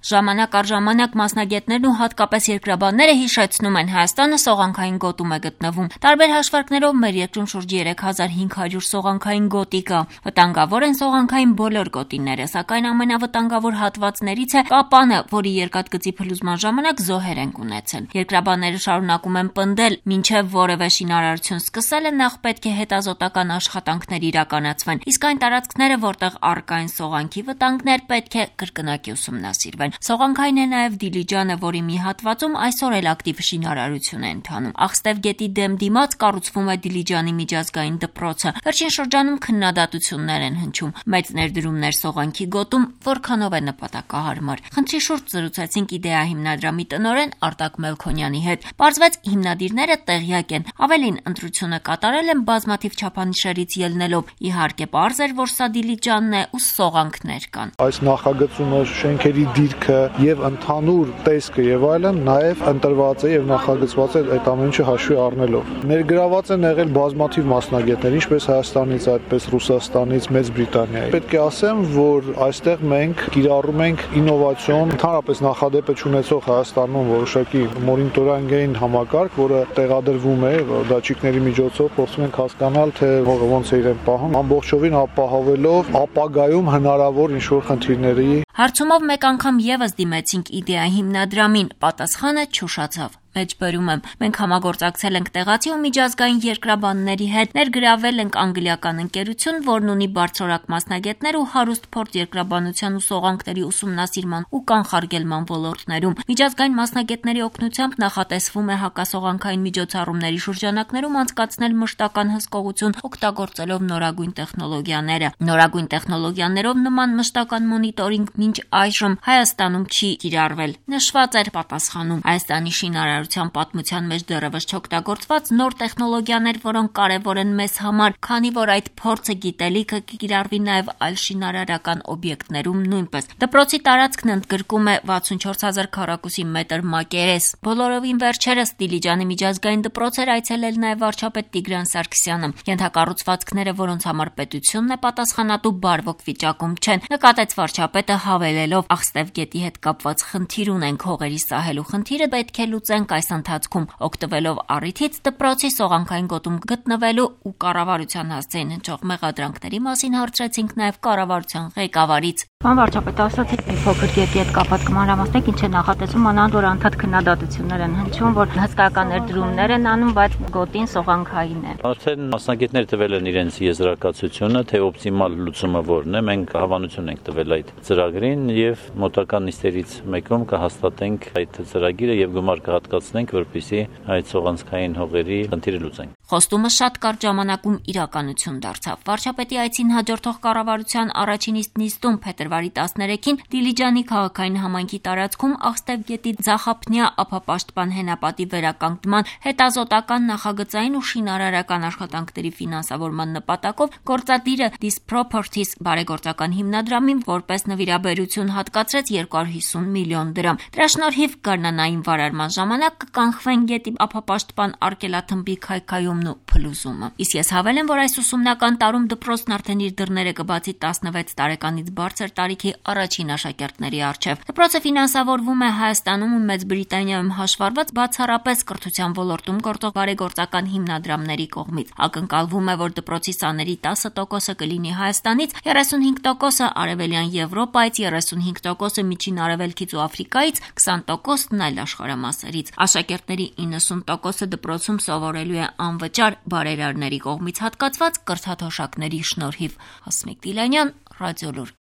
Ժամանակ առ ժամանակ մասնագետներն ու հատկապես երկրաբանները հիշեցնում են, Հայաստանը սողանքային գոտում է գտնվում։ Տարբեր հաշվարկներով մեր երկրում շուրջ 3500 սողանքային գոտի կա։ Վտանգավոր են սողանքային բոլոր գոտիները, սակայն ամենավտանգավոր հատվածներից է Կապանը, որի երկաթգծի փլուզման ժամանակ զոհեր են ունեցել։ Երկրաբանները շարունակում են պնդել, մինչև որևէ շինարարություն սկսելը նախ պետք է հետազոտական աշխատանքներ իրականացվեն, իսկ այն տարածքները, որտեղ առկա են սողանքի վտանգներ, պետք է կրկնակի ուսումնասիրվեն։ Սողանքային է նաև Դիլիջանը, որի մի հատվածում այսօր էլ ակտիվ շինարարություն է ընթանում։ Աղստև գետի դեմ դիմաց կառուցվում է Դիլիջանի միջազգային դպրոցը։ Վերջին շրջանում քննադատություններ են հնչում, մեծ ներդրումներ սողանքի գոտում, որքանով է նպատակահարմար։ Խնդրի շուրջ զրուցեցինք Իդեա հիմնադրամի տնօրեն Արտակ Մելքոնյանի հետ։ Պարզվեց, հիմնադիրները տեղյակ են, ավելին ընտրությունը կատարել են բազմաթիվ չափանիշերից ելնելով։ Իհարկե, պարզ էր, որ սա Դիլիջանն է ու սողանքներ կան։ Այս նախագծումը, շենքերի դիրքը եւ ընդհանուր տեսքը եւ այլն նաեւ ընտրված է եւ նախագծված է այդ ամեն ինչը հաշվի առնելով։ Ներգրաված են եղել բազմաթիվ մասնագետներ, ինչպես Հայաստանից, այդպես Ռուսաստանից, Մեծ Բրիտանիայից։ Պետք է ասեմ, որ այստեղ մենք կիրառում ենք ինովացիոն, ընդհանրապես նախադեպը ունեցող Հայաստանում որոշակի մոնիտորինգային համակարգ, որը տեղադրվում է դատչիկների միջոցով, փորձում ենք հասկանալ, թե ոնց է իրեն պահում, ամբողջովին ապահովելով ապագայում հնարավոր ինչ-որ խնդիրների։ Հարցումով մեկ անգամ եւս դիմեցինք Իդեա հիմնադրամին, պատասխանը չուշացավ։ Մեջբերում եմ, մենք համագործակցել ենք տեղացի ու միջազգային երկրաբանների հետ, ներգրավել ենք անգլիական ընկերություն, որն ունի բարձրորակ մասնագետներ ու հարուստ փորձ երկրաբանության ու սողանքների ուսումնասիրման ու կանխարգելման ոլորտներում։ Միջազգային մասնագետների օգնությամբ նախատեսվում է հակասողանքային միջոցառումների շրջանակներում անցկացնել մշտական հսկողություն, օգտագործելով նորագույն տեխնոլոգիաները։ Նորագույն տեխնոլոգիաներով նման մշտական մոնիտորինգ մինչ այժմ Հայաստանում չի կիրառվել։ Նշված էր պատասխանում Հայաստանի շինարարության պատմության մեջ դեռևս չօգտագործված նոր տեխնոլոգիաներ, որոնք կարևոր են մեզ համար, քանի որ այդ փորձը գիտելիքը կկիրառվի նաև այլ շինարարական օբյեկտներում նույնպես։ Դպրոցի տարածքն ընդգրկում է 64000 քառակուսի մետր մակերես։ Բոլորովին վերջերս Դիլիջանի միջազգային դպրոց էր այցելել նաև վարչապետ Տիգրան Սարգսյանը։ Ենթակառուցվածքները, որոնց համար պետությունն է պատասխանատու, բարվոք վիճակում չեն, նկատեց վարչապետը, հավելելով Աղստև գետի հետ կապված խնդիր ունենք, հողերի սահելու խնդիրը պետք է լուծենք այս ընթացքում, օգտվելով առիթից դպրոցի սողանքային գոտում գտնվելու ու կառավարության հասցեին հնչող մեղադրանքների մասին հարցրեցինք նաև կառավարության ղեկավարից։ Պարոն վարչապետ, ասացիք մի փոքր գետի հետ կապված կմանրամասնեք, ինչ է նախատեսում, անանդ որ անդադ քննադատություններ են հնչում, որ հսկայական ներդրումներ են անում, բայց գոտին սողանքային է։ Արդեն մասնագետները տվել են իրենց եզրակացությունը, թե օպտիմալ լուծումը որն է, մենք հավանություն ենք տվել այդ ծրագրին եւ մոտակա նիստերից մեկում կհաստատենք այդ ծրագիրը եւ գումար կհատկացնենք, որպեսզի այդ սողանքային հողերի խնդիրը լուծենք։ Խոստումը շատ կարճ ժամանակում իրականություն դարձավ։ Վարչապետի այցին հաջորդող կառավարության առաջին նիստում փետրվարի 13-ին Դիլիջանի քաղաքային համայնքի տարածքում Աղստև գետի ձախապնյա ափապաշտպան հենապատի վերականգնման հետազոտական նախագծային ու շինարարական աշխատանքների ֆինանսավորման նպատակով գործադիրը This Properties բարեգործական հիմնադրամին որպես նվիրաբերություն հատկացրեց 250 միլիոն դրամ։ Դրա շնորհիվ գարնանային վարարման ժամանակ կկանխվեն գետի ափապաշտպան արգելաթմբի քայքայումն ու փլուզումը։ Իսկ ես հավելեմ, որ այս ուսումնական տարում դպրոցն արդեն իր դռները կբացի 16 տարեկանից բարձր տարիքի առաջին աշակերտների առջև։ Դպրոցը ֆինանսավորվում է Հայաստանում ու Մեծ Բրիտանիայում հաշվառված բացառապես կրթության ոլորտում գործող բարեգործական հիմնադրամների կողմից։ Ակնկալվում է, որ դպրոցի սաների 10% կլինի Հայաստանից, 35% Արևելյան Եվրոպայից, 35% Միջին Արևելքից ու Աֆրիկայից, 20%-ն այլ աշխարհամասերից։ Աշակերտների 90%-ը դպրոցում սովորելու է անվճար բարերարների կողմից հատկացված կրթաթոշակների շնորհիվ։ Հասմիկ Դիլանյան, Ռադիոլուր։